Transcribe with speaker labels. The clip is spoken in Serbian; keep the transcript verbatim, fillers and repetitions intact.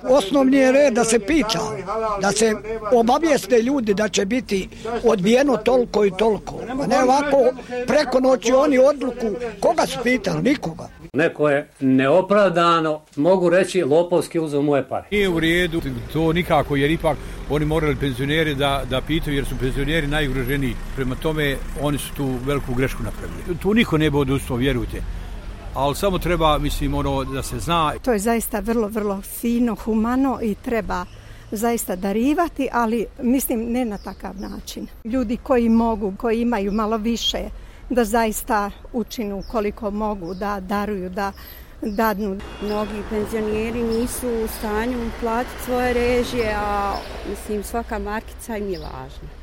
Speaker 1: Osnovni je red da se pita, da se obavijeste ljudi da će biti odbijeno toliko i toliko. A ne ovako preko noći oni odluku, koga su pitali? Nikoga.
Speaker 2: Neko je neopravdano, mogu reći, lopovski uzeo moje pare.
Speaker 3: Nije u redu to nikako, jer ipak oni morali penzioneri da, da pitaju, jer su penzioneri najugroženiji. Prema tome, oni su tu veliku grešku napravili. Tu niko ne bi odustao, vjerujte. Ali samo treba, mislim, ono da se zna.
Speaker 4: To je zaista vrlo, vrlo fino, humano i treba zaista darivati, ali mislim ne na takav način. Ljudi koji mogu, koji imaju malo više, da zaista učinu koliko mogu, da daruju, da dadnu.
Speaker 5: Mnogi penzioneri nisu u stanju platiti svoje režije, a mislim svaka markica im je važna.